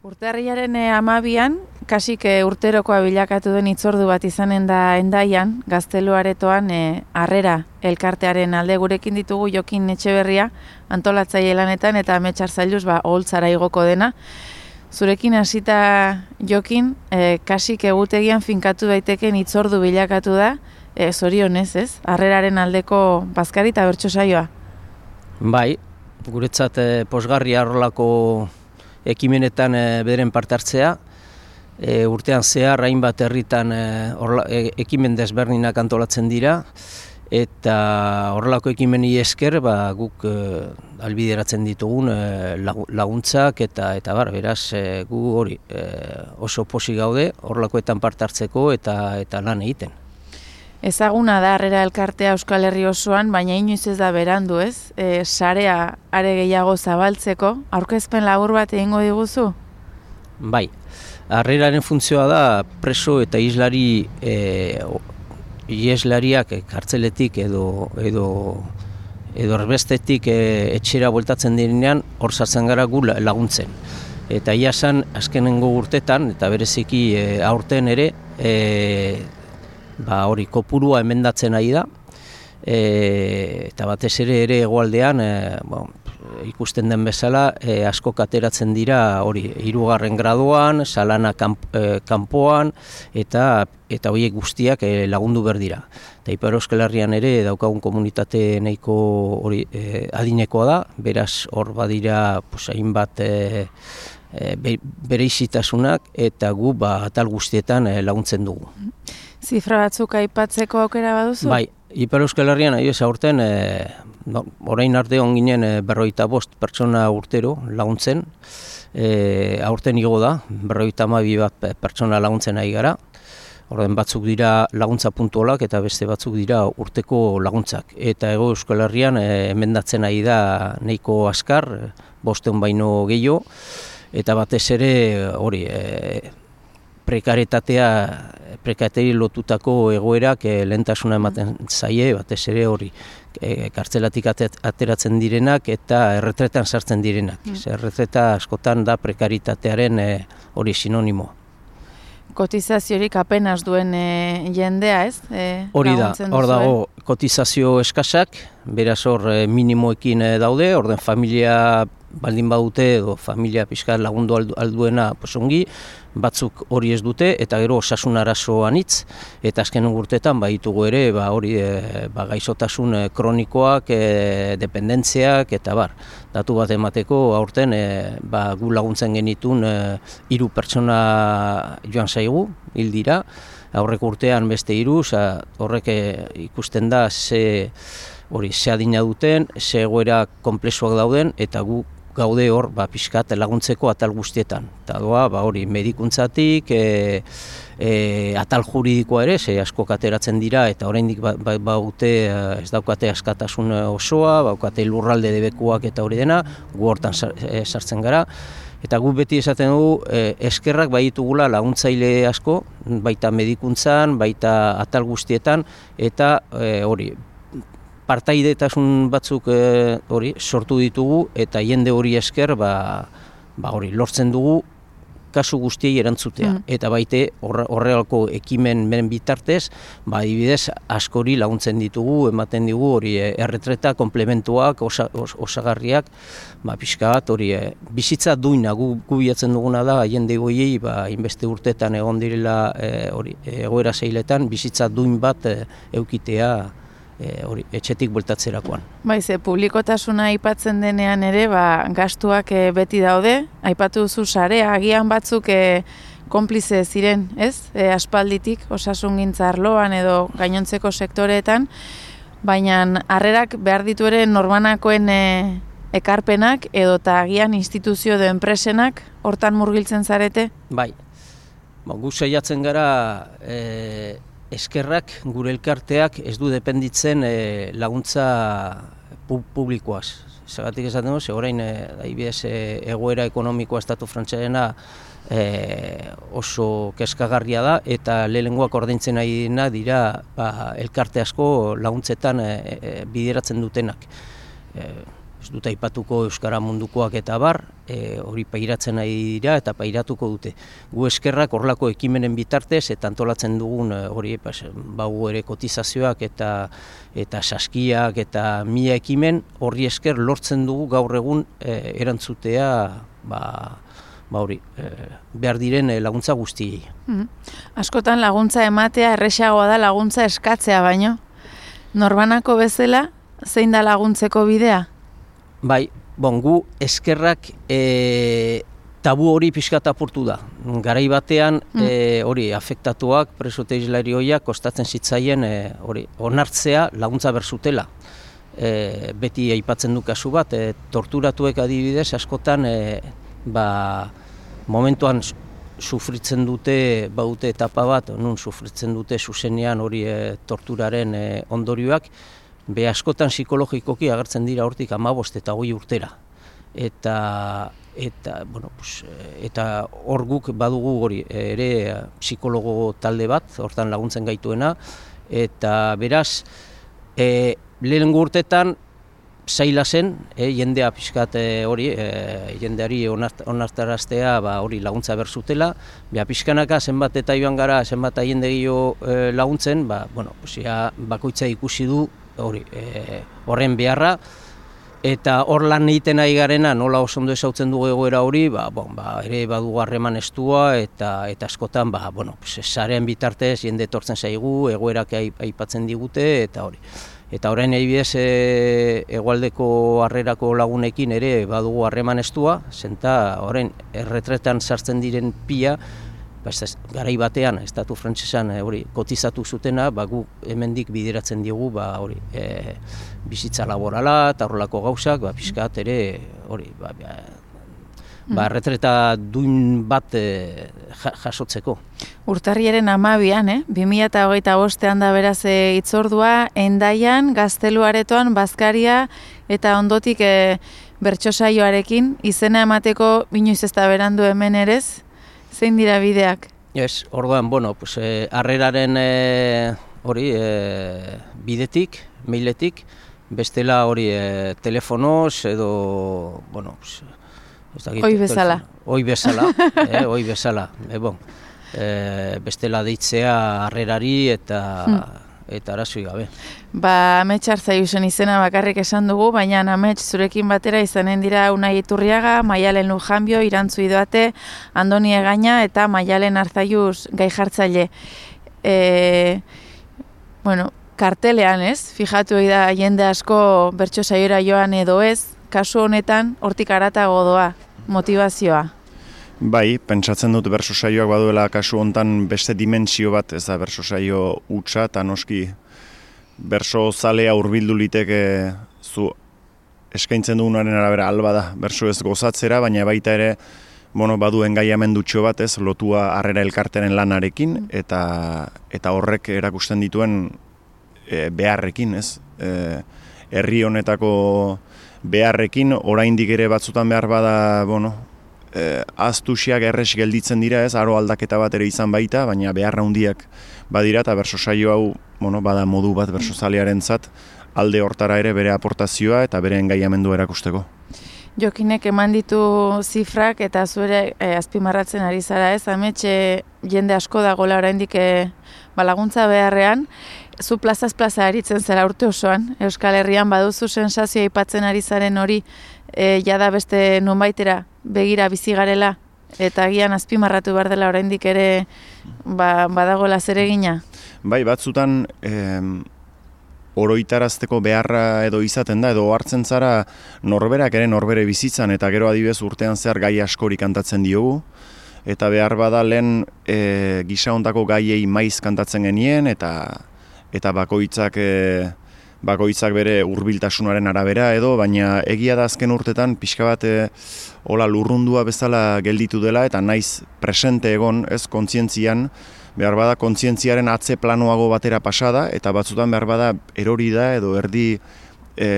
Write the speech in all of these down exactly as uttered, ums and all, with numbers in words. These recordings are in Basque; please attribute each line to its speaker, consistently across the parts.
Speaker 1: Urtarrilaren hamabian, kasik e, urterokoa bilakatu den hitzordu bat izanen da Hendaian, Gaztelu Aretoan e, Harrera elkartearen alde gurekin ditugu Jokin Etxeberria, antolatzaile lanetan eta Ametsar Zailuz ba oholtzara igoko dena. Zurekin hasita Jokin, e, kasik egutegian finkatu daiteken hitzordu bilakatu da, e, zorionez, ez? Harreraren aldeko bazkari eta bertso saioa.
Speaker 2: Bai, guretzat e, posgarria horrelako ekimenetan e, bederen parte hartzea, e, urtean zehar hainbat herritan e, orla, e, ekimen desberdinak antolatzen dira, eta horrelako ekimeni esker ba, guk e, albideratzen ditugun e, laguntzak eta eta bar, beraz e, gu hori e, oso posi gaude horrelakoetan parte hartzeko eta eta lan egiten.
Speaker 1: Ezaguna da Harrera elkartea Euskal Herri osoan, baina inoiz ez da berandu, ez? E, sarea are gehiago zabaltzeko, aurkezpen labur bat egingo diguzu?
Speaker 2: Bai, Harreraren funtzioa da preso eta islari e, ieslariak kartzeletik edo edo edo erbestetik e, etxera bueltatzen direnean hor sartzen gara gu laguntzen. Eta ia esan azkenengo urtetan eta bereziki e, aurten ere e, ba hori kopurua emendatzen ari da, e, eta batez ere ere hegoaldean e, bon, ikusten den bezala e, asko ateratzen dira hori hirugarren graduan, salana kanp, e, kanpoan eta eta horiek guztiak e, lagundu behar dira. Eta Ipar Euskal Herrian ere daukagun komunitate nahiko hori e, adinekoa da, beraz hor badira pues, hainbat e, e, bereizitasunak eta gu ba, atal guztietan e, laguntzen dugu.
Speaker 1: Zifra batzuk aipatzeko aukera baduzu?
Speaker 2: Bai, Ipar Euskal Herrian ahi ez aurten, e, no, orain arte on ginen e, berrogeita bost pertsona urtero laguntzen, e, aurten igo da, berrogeita hamabi bat pertsona laguntzen ari gara, orden batzuk dira laguntza puntualak eta beste batzuk dira urteko laguntzak. Eta Hego Euskal Herrian e, emendatzen ari da nahiko askar, bosteun baino gehiago, eta batez ere hori, e, prekaritatea, prekaritari lotutako egoerak e, lehentasuna ematen zaie, batez ere hori e, kartzelatik ateratzen direnak eta erretretan sartzen direnak. Mm. Erretreta askotan da prekaritatearen e, hori sinonimo.
Speaker 1: Kotizaziorik apenas duen e, jendea, ez? E,
Speaker 2: hori da, hor dago kotizazio eskasak, beraz hor e, minimoekin e, daude, orden familia baldin badute edo familia pixka lagundu alduena posongi, batzuk hori ez dute eta gero osasun arazo anitz eta azken urteetan baditugu ere ba hori e, ba gaixotasun e, kronikoak, e, dependentziak eta bar. Datu bat emateko aurten e, ba, gu laguntzen genitun e, hiru pertsona joan zaigu, hil dira, aurreko urtean beste hiru, horrek e, ikusten da ze hori ze adina duten, ze egoera konplexuak dauden eta gu gaude hor ba, pixkat laguntzeko atal guztietan. Eta doa, ba, hori medikuntzatik, e, e, atal juridikoa ere, ze asko ateratzen dira eta oraindik ba, ba, baute ez daukate askatasun osoa, baukate lurralde debekuak eta hori dena, gu hortan sartzen gara. Eta gu beti esaten dugu e, eskerrak baitugula laguntzaile asko, baita medikuntzan, baita atal guztietan, eta e, hori, partaidetasun batzuk e, hori sortu ditugu eta jende hori esker ba, ba hori lortzen dugu kasu guztiei erantzutea. Mm. Eta baite horrelako ekimen beren bitartez, ba adibidez askori laguntzen ditugu, ematen digu hori erretreta komplementuak, osa, os, osagarriak, ba pixka bat hori e, bizitza duina gu, gu bilatzen duguna da jende goiei ba inbeste urtetan egon direla e, hori egoera zeiletan bizitza duin bat e, eukitea E, hori, etxetik bueltatzerakoan.
Speaker 1: Bai, ze publikotasuna aipatzen denean ere, ba, gastuak e, beti daude, aipatu duzu sarea, agian batzuk e, konplize ziren, ez? E, aspalditik, osasungintza arloan edo gainontzeko sektoreetan, baina Harrerak behar ditu ere norbanakoen e, ekarpenak edo eta agian instituzio edo enpresenak hortan murgiltzen zarete?
Speaker 2: Bai, ba, gu saiatzen gara e, eskerrak gure elkarteak ez du dependitzen e, laguntza pu publikoaz. Zagatik esaten duz, orain e, adibidez e, egoera ekonomikoa estatu frantsarena e, oso kezkagarria da eta lehenengoak ordaintzen ari dira ba, elkarte asko laguntzetan e, e, bideratzen dutenak. E, ez dut aipatuko euskara mundukoak eta bar, e, hori pairatzen nahi dira eta pairatuko dute. Gu eskerrak horrelako ekimenen bitartez eta antolatzen dugun hori pas, bagu ere kotizazioak eta eta saskiak eta mila ekimen horri esker lortzen dugu gaur egun e, erantzutea ba, ba hori, e, behar diren laguntza guztiei.
Speaker 1: Mm-hmm. Askotan laguntza ematea erresagoa da laguntza eskatzea baino. Norbanako bezala, zein da laguntzeko bidea?
Speaker 2: Bai, bon, gu eskerrak e, tabu hori pixkat apurtu da. Garai batean mm. e, hori afektatuak, presote islari horiak kostatzen zitzaien e, hori onartzea laguntza berzutela. E, beti aipatzen du kasu bat, e, torturatuek adibidez askotan e, ba, momentuan sufritzen dute, baute etapa bat, nun sufritzen dute zuzenean hori e, torturaren e, ondorioak, be askotan psikologikoki agertzen dira hortik hamabost eta hogei urtera. Eta eta bueno, pues, eta hor guk badugu hori ere psikologo talde bat, hortan laguntzen gaituena, eta beraz e, lehenengo urtetan zaila zen, e, jendea pixkat e, hori, e, jendeari onart, onartaraztea ba, hori laguntza berzutela, beha pixkanaka zenbat eta joan gara, zenbat jende gehiago e, laguntzen, ba, bueno, pues, ja, bakoitza ikusi du hori, e, horren beharra, eta hor lan egiten ari garena, nola oso ondo ezautzen dugu egoera hori, ba, bon, ba, ere badugu harreman estua, eta, eta askotan, ba, bueno, pues, sarean bitartez jende etortzen zaigu, egoerak aipatzen digute, eta hori. Eta orain adibidez e, hegoaldeko harrerako lagunekin ere badugu harreman estua, zenta orain erretretan sartzen diren pila, ba, ez, garai batean estatu frantsesan hori kotizatu zutena, ba, gu hemendik bideratzen diegu ba, hori, e, bizitza laborala eta horrelako gauzak, ba, pixkat ere hori, ba, ba, ba, erretreta duin bat e, jasotzeko.
Speaker 1: Urtarriaren hamabian, eh? bi mila hogeita bostean da beraz e, itzordua, Hendaian, Gaztelu Aretoan, Bazkaria eta ondotik e, bertso saioarekin, izena emateko binoiz ez da berandu hemen erez, zein dira bideak?
Speaker 2: Ez, orduan, bueno, pues, e, harreraren e, hori e, bidetik, mailetik, bestela hori e, telefonoz edo, bueno, pues,
Speaker 1: Oi bezala.
Speaker 2: Oi bezala, eh, oi bezala. E, bon, e, bestela deitzea harrerari eta hmm. eta arazoi gabe.
Speaker 1: Ba, Amets Arzaiusen izena bakarrik esan dugu, baina Amets zurekin batera izanen dira Unai Iturriaga, Maialen Lujanbio, Irantzu Idoate, Andoni Egaña eta Maialen Arzaiuz gai jartzaile. E, bueno, kartelean ez, fijatu da jende asko bertso saiora joan edo ez, kasu honetan hortik haratago doa, motivazioa.
Speaker 3: Bai, pentsatzen dut bertso saioak baduela kasu hontan beste dimentsio bat, ez da bertso saio hutsa, eta noski bertso zalea hurbildu liteke zu eskaintzen dugunaren arabera alba da bertso ez gozatzera, baina baita ere bueno, badu engaiamendutxo bat, ez, lotua harrera elkarteren lanarekin, eta eta horrek erakusten dituen e, beharrekin, ez, e, herri honetako beharrekin, oraindik ere batzutan behar bada, bueno, eh, aztusiak erres gelditzen dira, ez, aro aldaketa bat ere izan baita, baina beharra handiak badira, eta berso saio hau, bueno, bada modu bat berso zalearentzat, alde hortara ere bere aportazioa eta bere engaiamendua erakusteko.
Speaker 1: Jokinek eman ditu zifrak eta zuere eh, azpimarratzen ari zara, ez, Ametxe jende asko dagoela oraindik eh, balaguntza beharrean, zu plazaz plaza aritzen zara urte osoan, Euskal Herrian baduzu sensazioa aipatzen ari zaren hori e, jada beste nonbaitera begira bizi garela eta agian azpimarratu behar dela oraindik ere ba, badagoela zeregina?
Speaker 3: Bai, batzutan eh, oroitarazteko beharra edo izaten da, edo hartzen zara norberak ere norbere bizitzan, eta gero adibidez urtean zehar gai askori kantatzen diogu, eta behar bada lehen e, gisa hontako gaiei maiz kantatzen genien, eta eta bakoitzak e, bakoitzak bere hurbiltasunaren arabera edo, baina egia da azken urtetan pixka bat e, hola lurrundua bezala gelditu dela eta naiz presente egon, ez, kontzientzian, behar bada kontzientziaren atze planoago batera pasada, eta batzutan behar bada erori da edo erdi e,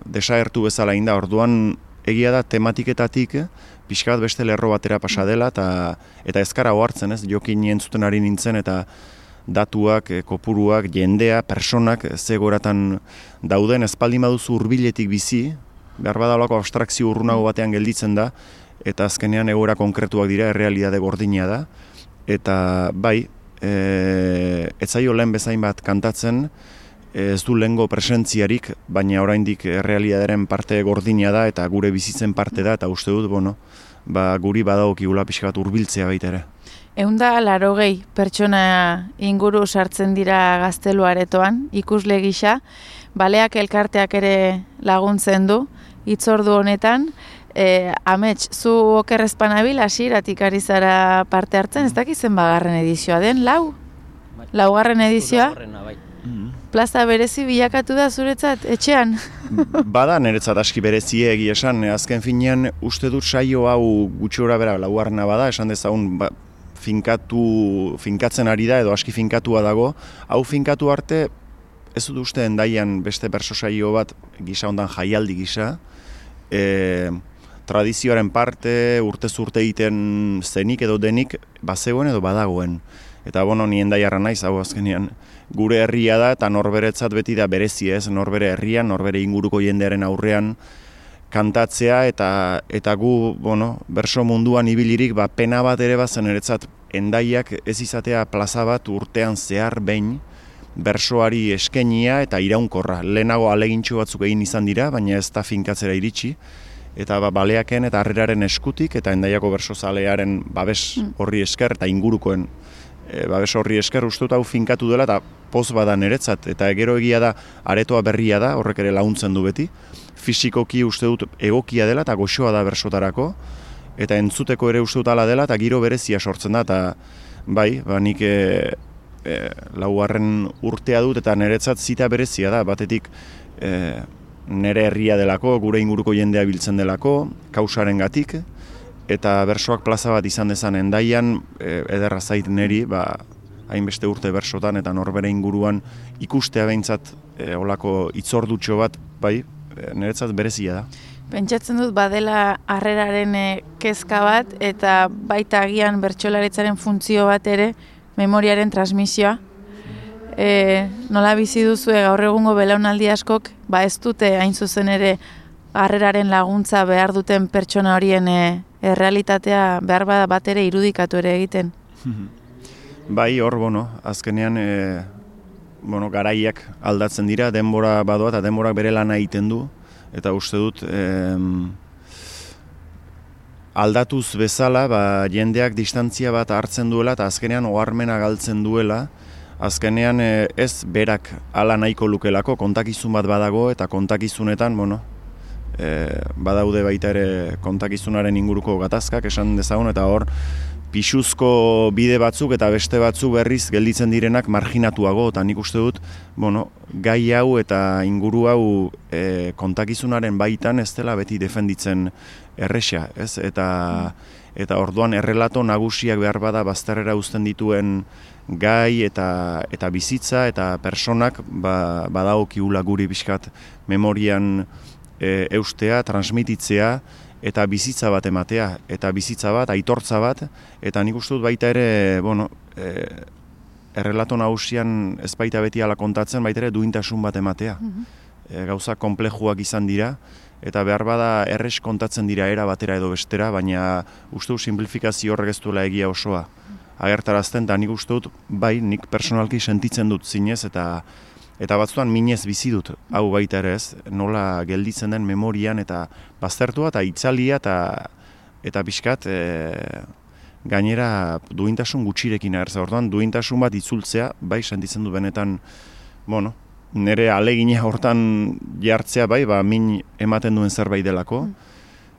Speaker 3: desagertu bezala inda, orduan egia da tematiketatik pixka bat beste lerro batera pasa dela, eta, eta ezkara ohartzen, ez, jokin entzuten ari nintzen, eta datuak, kopuruak, jendea, personak zegoratan dauden, espaldin baduzu hurbiletik bizi, behar badalako abstrakzio urrunago batean gelditzen da, eta azkenean egoera konkretuak dira, errealitate gordina da, eta bai, e, ez zaio lehen bezain bat kantatzen, ez du lehengo presentziarik, baina oraindik errealitatearen parte gordina da, eta gure bizitzen parte da, eta uste dut, bueno, ba, guri badagokigula pixka bat hurbiltzea baita ere.
Speaker 1: Ehunda larogei pertsona inguru sartzen dira Gaztelu Aretoan, ikusle gisa, baleak elkarteak ere laguntzen du, hitzordu honetan, e, Amets, zu okerrezpanabil hasieratik ari zara parte hartzen, ez dakizen bagarren edizioa den, lau? Laugarren edizioa? Plaza berezi bilakatu da zuretzat, etxean?
Speaker 3: Bada niretzat aski berezie egia esan, azken finean uste dut saio hau gutxi gora bera laugarrena bada, esan dezagun ba, finkatu, finkatzen ari da edo aski finkatua dago, hau finkatu arte ez dut uste endaian beste berso saio bat gisa ondan jaialdi gisa, e, tradizioaren parte urtez urte egiten zenik edo denik bazegoen edo badagoen. Eta bono, ni endaiarra naiz, hau azkenean gure herria da eta norberetzat beti da berezi ez, norbere herrian, norbere inguruko jendearen aurrean kantatzea eta eta gu, bueno, berso munduan ibilirik, ba, pena bat ere bazen eretzat endaiak ez izatea plaza bat urtean zehar behin bersoari eskenia eta iraunkorra. Lehenago alegintxo batzuk egin izan dira, baina ez da finkatzera iritsi. Eta ba, baleaken eta harreraren eskutik eta endaiako bersozalearen babes horri esker eta ingurukoen e, babes horri esker uste dut hau finkatu dela eta poz bada niretzat. Eta gero egia da aretoa berria da, horrek ere laguntzen du beti. Fisikoki uste dut egokia dela eta goxoa da bersotarako. Eta entzuteko ere uste dut ala dela eta giro berezia sortzen da. Eta bai, ba, nik e, e, laugarren urtea dut eta niretzat zita berezia da. Batetik e, nere herria delako, gure inguruko jendea biltzen delako, kausaren gatik, eta bersoak plaza bat izan dezan endaian, e, ederra zait neri, ba, hainbeste urte bersotan eta norbere inguruan ikustea behintzat e, olako itzordutxo bat, bai, e, niretzat berezia da.
Speaker 1: Pentsatzen dut badela harreraren e, kezka bat, eta baita agian bertsolaritzaren funtzio bat ere, memoriaren transmisioa. E, nola bizi duzue gaur egungo belaunaldi askok, ba ez dute hain zuzen ere harreraren laguntza behar duten pertsona horien e, errealitatea behar bada bat ere irudikatu ere egiten.
Speaker 3: Bai, hor, bueno, azkenean e, bueno, garaiak aldatzen dira, denbora badoa eta denborak bere lana egiten du, eta uste dut e, aldatuz bezala, ba, jendeak distantzia bat hartzen duela eta azkenean oharmena galtzen duela. Azkenean ez berak hala nahiko lukelako, kontakizun bat badago eta kontakizunetan, bueno, e, badaude baita ere kontakizunaren inguruko gatazkak esan dezagun, eta hor pisuzko bide batzuk eta beste batzuk berriz gelditzen direnak marginatuago, eta nik uste dut, bueno, gai hau eta inguru hau e, kontakizunaren baitan ez dela beti defenditzen erresa, ez? Eta, eta orduan errelato nagusiak behar bada bazterrera uzten dituen gai eta eta bizitza eta personak ba, badagokiula guri pixkat memorian e, eustea, transmititzea eta bizitza bat ematea, eta bizitza bat, aitortza bat, eta nik uste dut baita ere, bueno, e, errelato nagusian ez baita beti ala kontatzen, baita ere duintasun bat ematea. E, gauza konplejuak izan dira, eta behar bada erres kontatzen dira era batera edo bestera, baina uste dut simplifikazio horrek ez duela egia osoa agertarazten, eta nik uste dut, bai, nik personalki sentitzen dut zinez, eta eta batzutan minez bizi dut, hau baita ere ez, nola gelditzen den memorian, eta baztertua, eta itzalia, eta eta pixkat, e, gainera duintasun gutxirekin agertza, orduan duintasun bat itzultzea, bai, sentitzen dut benetan, bueno, nire alegina hortan jartzea, bai, ba, min ematen duen zerbait delako,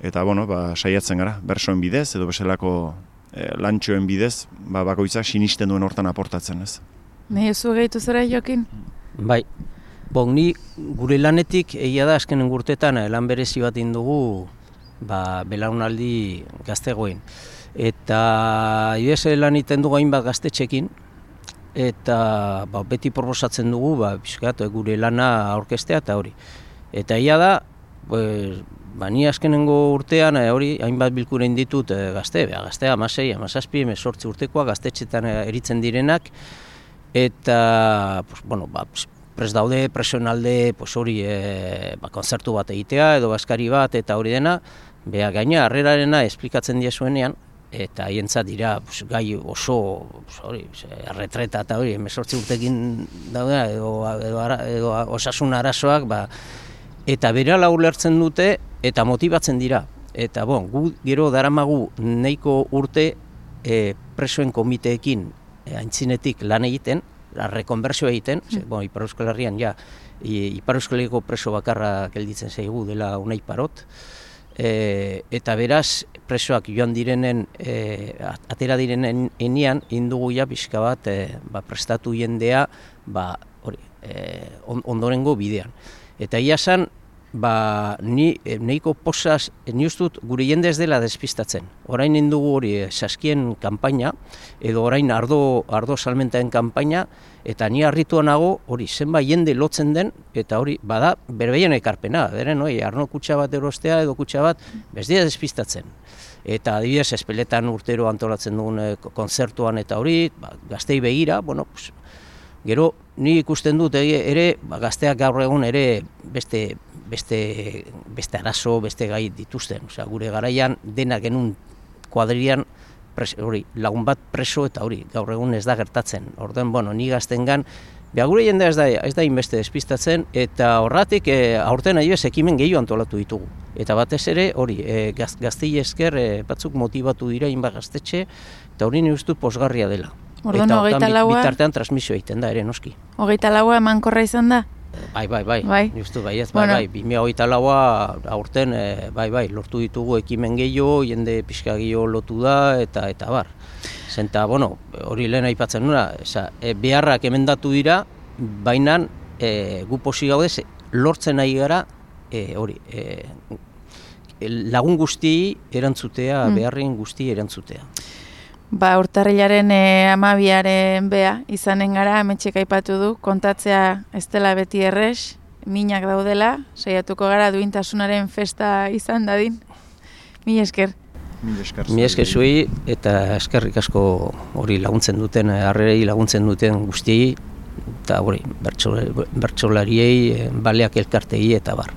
Speaker 3: eta, bueno, ba, saiatzen gara, bersoen bidez, edo bezalako e, lantxoen bidez, ba, bakoitzak sinisten duen hortan aportatzen, ez.
Speaker 1: Nahi zu gehitu zera, Jokin?
Speaker 2: Bai, bon, ni gure lanetik egia da azkenen urtetan lan berezi bat indugu ba, belaunaldi gaztegoen. Eta ibez lan iten dugu hainbat gaztetxekin, eta ba, beti proposatzen dugu ba, bizkat, gure lana aurkestea eta hori. Eta egia da, pues, ba, ni azkenengo urtean hori hainbat bilkurein ditut e, gazte, beha, gaztea amasei, amazazpi, emezortzi urtekoa gaztetxetan eritzen direnak, eta pues, bueno, ba, prest daude, presoen alde, pues hori, e, ba, konzertu bat egitea, edo baskari bat, eta hori dena, beha gaina, harrerarena esplikatzen diezuenean, eta haientzat dira pues, gai oso, pues, hori, erretreta eta hori, hemezortzi urtekin daude, edo, edo, edo, edo osasun arazoak, ba, eta berala ulertzen dute, eta motibatzen dira. Eta bon, gu gero daramagu nahiko urte e, presoen komiteekin e, aintzinetik lan egiten, la rekonbertsio egiten, mm. ze, bon, Ipar Euskal Herrian ja, Ipar Euskal Herriko preso bakarra gelditzen zaigu dela Unai Parot, e, eta beraz presoak joan direnen, e, atera direnen enean, indugu ja pixka bat e, ba, prestatu jendea ba, hori, e, ondorengo bidean. Eta ia san, ba, ni nahiko posaz, ni ustut gure jende ez dela despistatzen. Orain indugu hori saskien kanpaina, edo orain ardo, ardo salmentaen kanpaina, eta ni harritua nago hori zenbait jende lotzen den, eta hori bada berbeien ekarpena, beren hori arno kutxa bat erostea edo kutxa bat, bez dira despistatzen. Eta adibidez, espeletan urtero antolatzen dugun konzertuan eta hori, ba, gaztei begira, bueno, pues, gero ni ikusten dut ere, ba, gazteak gaur egun ere beste beste, beste arazo, beste gai dituzten. Osea, gure garaian dena genuen kuadrian pres, hori, lagun bat preso eta hori, gaur egun ez da gertatzen. Orduan, bueno, ni gaztengan, beha gure jendea ez da, ez da inbeste despistatzen, eta horratik e, aurten adibidez ekimen gehiago antolatu ditugu. Eta batez ere, hori, e, gaz, gaztei esker e, batzuk motibatu dira inba gaztetxe, eta hori ni uste pozgarria dela.
Speaker 1: Orduan,
Speaker 2: eta
Speaker 1: hogeita
Speaker 2: hortan
Speaker 1: laua...
Speaker 2: bitartean transmisio egiten da, ere noski.
Speaker 1: Hogeita laua emankorra izan da?
Speaker 2: Bai, bai, bai,
Speaker 1: bai.
Speaker 2: Justu, bai, ez,
Speaker 1: bueno.
Speaker 2: bai, bai, bi mila hogeita laua aurten, e, bai, bai, lortu ditugu ekimen gehiago, jende pixka gehiago lotu da, eta eta bar. Zenta, bueno, hori lehen aipatzen nuna, eza, e, beharrak emendatu dira, baina e, gu posi gaude, lortzen nahi gara, e, hori, e, lagun guztiei erantzutea, mm. beharren guztiei erantzutea.
Speaker 1: Ba, urtarrilaren e, amabiaren bea izanen gara, ametxek aipatu du, kontatzea ez dela beti errez, minak daudela, saiatuko gara duintasunaren festa izan dadin. Mi esker.
Speaker 3: Mi esker.
Speaker 2: Mi esker zuei eta eskerrik asko hori laguntzen duten, harrerei laguntzen duten guztiei, eta hori, bertsolariei, baleak elkartei eta bar.